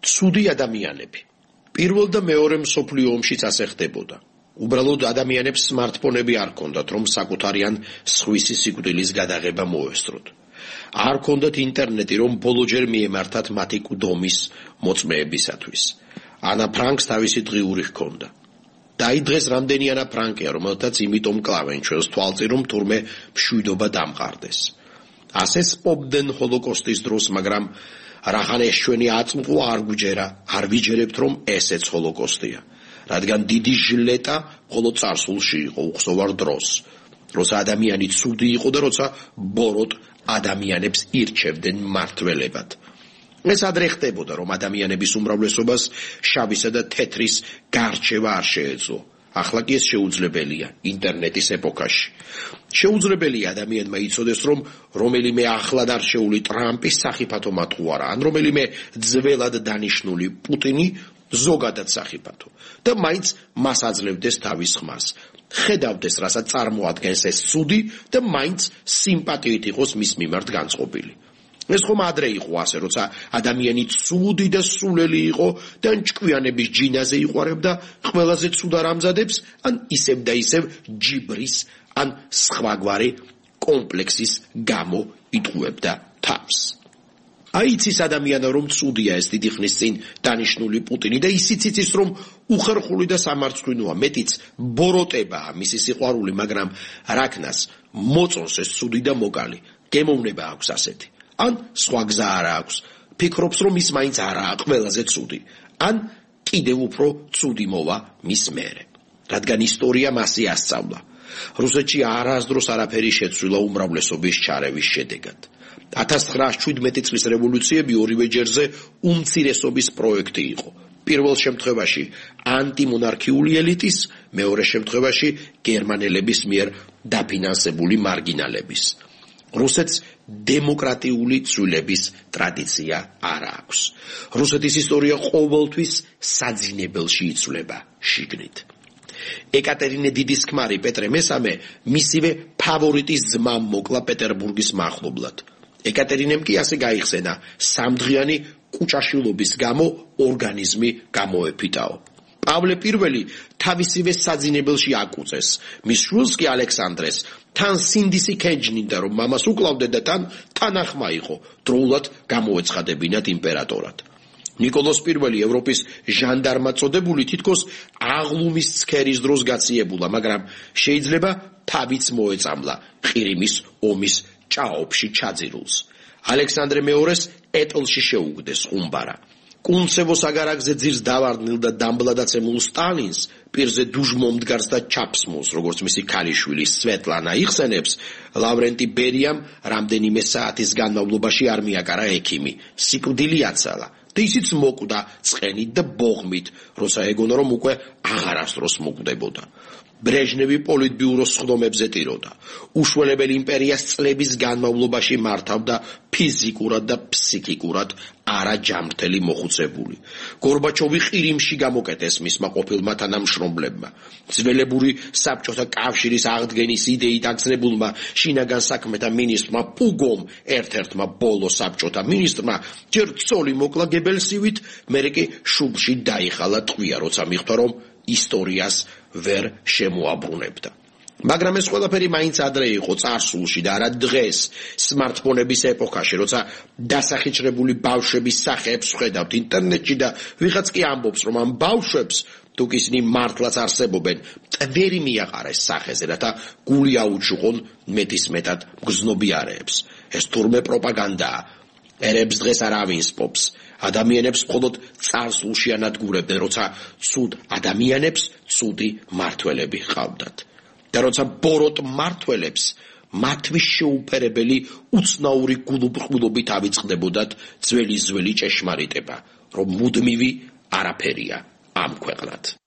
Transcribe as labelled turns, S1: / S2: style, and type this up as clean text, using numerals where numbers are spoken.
S1: ცუდი ადამიანები. პირველ და მეორე მსოფლიო ომშიც ასე ხდებოდა. უბრალოდ ადამიანებს smartphone-ები არ ჰქონდათ, რომ საკუთარი ან სხვისი სიკვდილის გადაღება მოესწროთ. არ ჰქონდათ ინტერნეტი, რომ ბოლოჯერ მიემართათ მათი კვდომის მოწმეებისათვის. ანა ფრანკს თავისი დღიური ჰქონდა. და აი დღეს რამდენი ანა ფრანკია, რომელთაც იმიტომ კლავენ ჩვენს თვალწინ, რომ თურმე მშვიდობა დამყარდეს. ასე სპობდნენ ჰოლოკოსტის დროს, მაგრამ რახან ეს ჩვენი აწმყო არ გვიჯერა, არ ვიჯერებთ, რომ ესეც ჰოლოკოსტია. რადგან დიდი ჟლეტა მხოლოდ წარსულში იყო უხსოვარ დროს, როცა ადამიანი ცუდი იყო და როცა ბოროტ ადამიანებს ირჩევდნენ მმართველებად. ეს ადრე ხდებოდა, რომ ადამიანების უმრავლესობას შავისა და თეთრის გარჩევა არ შეეძლო. ახლა კი ეს შეუძლებელია ინტერნეტის ეპოქაში. შეუძლებელია ადამიანმა იცოდეს, რომ რომელიმე ახლად არჩეული ტრამპის სახიფათო მატყუარა, ან რომელიმე ძველად დანიშნული პუტინი ზოგადად სახიფათო და მაინც მას აძლევდეს თავის ხმას. ხედავდეს, რასაც წარმოადგენს ეს ცუდი და მაინც სიმპათიით იყოს მის მიმართ განწყობილი. ეს ხომ ადრე იყო ასე, როცა ადამიანი ცუდი და სულელი იყო და ჭკვიანების ჯინაზე იყوارებდა ყველაზე ცუდა რამზადებს, ან ისევ და ისევ ჯიბრის, ან სხვაგვარი კომპლექსის გამო იტყუებდა თავს. აიცის ადამიანა, რომ ცუდია ეს დიდი ხნის წინ დანიშნული პუტინი და ისიც იცის, რომ უხერხული და სამარცხვინოა, მეტიც ბოროტებაა მისი სიყვარული, მაგრამ რაკნას მოწონს ეს ცუდი და მოკალი, გემოვნება აქვს ასეთი. ან სხვა გზა არ აქვს, ფიქრობს, რომ ის მაინც არაა ყველაზე ცუდი, ან კიდევ უფრო ცუდი მოვა მის მერე. რადგან ისტორია მასი ასწავლა. რუსეთში არასდროს არაფერი შეცვლილა უმრავლესობის ჩარევის შედეგად. 1917 წლის რევოლუციები ორივე ჯერზე უმცირესობის პროექტი იყო. პირველ შემთხვევაში ანტიმონარქიული ელიტის, მეორე შემთხვევაში გერმანელების მიერ დაფინანსებული მარგინალების. რუსეთს დემოკრატიული ცვლილების ტრადიცია არ აქვს. რუსეთის ისტორია ყოველთვის საძინებელში იცვლება შიგნით. ეკატერინე დიდის ქმარი პეტრე მესამე მისივე ფავორიტის ძმა მოკლა პეტერბურგის მახლობლად. ეკატერინემ კი ასე გაიხსენა სამდღიანი კუჭაშილობის გამო ორგანიზმი გამოეფიტაო. პავლე პირველი თავისივე საძინებელში აკუწეს. მის შვილს კი ალექსანდრეს თან სინდისი ქენჯნიდა, რომ მამას უკლავდა და თანახმა იყო, დროულად გამოეცხადებინათ იმპერატორად. ნიკოლოზ პირველი ევროპის ჟანდარმად წოდებული თითქოს აღლუმის ცქერის დროს გაციებულა, მაგრამ შეიძლება თავიც მოეწამლა ყირიმის ომის ჭაობში ჩაძირულს. ალექსანდრე მეორეს ეტლში შეუგდეს ხუმბარა. კუნცევოს აგარაკზე ძირს დავარდნილ და დამბლადაცემულ სტალინს პირზე დუჟმომდგარს და ჩაფსმულს, როგორც მისი ქალიშვილი სვეტლანა იხსენებს, ლავრენტი ბერიამ რამდენიმე საათის განმავლობაში არ მიაკარა ექიმი, სიკვდილი აცალა და ისიც მოკვდა ცხენით და ბოღმით, როცა ეგონა, რომ უკვე აღარასდროს მოკვდებოდა. ბრეჟნევი პოლიტბიუროს სხდომებზე ტიროდა. უშველებელი იმპერიას წლების განმავლობაში მართავდა ფიზიკურად და ფსიქიკურად არაჯამრთელი მოხუცებული. გორბაჩოვი ყირიმში გამოკეტეს მისმა ყოფილმა თანამშრომლებმა. ძველებური საბჭოთა კავშირის აღდგენის იდეით აგზნებულმა შინაგან საქმეთა მინისტრმა პუგომ ერთ-ერთმა ბოლო საბჭოთა მინისტრმა ჯერ ცოლი მოკლა გებელსივით, მერე კი შუბლში დაიხალა ტყვია, როცა მიხვდა, რომ ისტორიას ვერ შემოაბრუნებდა. მაგრამ ეს ყველაფერი მაინც ადრე იყო წარსულში და არა დღეს, smartphone-ების ეპოქაში, როცა დასახიჩრებული ბავშვების სახეებს ვხედავთ ინტერნეტში და ვიღაც კი ამბობს, რომ ამ ბავშვებს თუ კი ისინი მართლაც არსებობენ, ტვერი მიაყარეს სახეზე, რათა გული აუჩუყონ მეტისმეტად მგრძნობიარეებს. ეს თურმე პროპაგანდაა. ერებს დღეს არავინ სპობს. ადამიანებს მხოლოდ წარსულში ანადგურებდნენ, როცა ცუდ ადამიანებს ცუდი მმართველები ჰყავდათ. და როცა ბოროტ მმართველებს მათთვის შეუფერებელი უცნაური გულუბრყვილობით ავიწყდებოდათ ძველი ჭეშმარიტება, რომ მუდმივი არაფერია ამ ქვეყნად.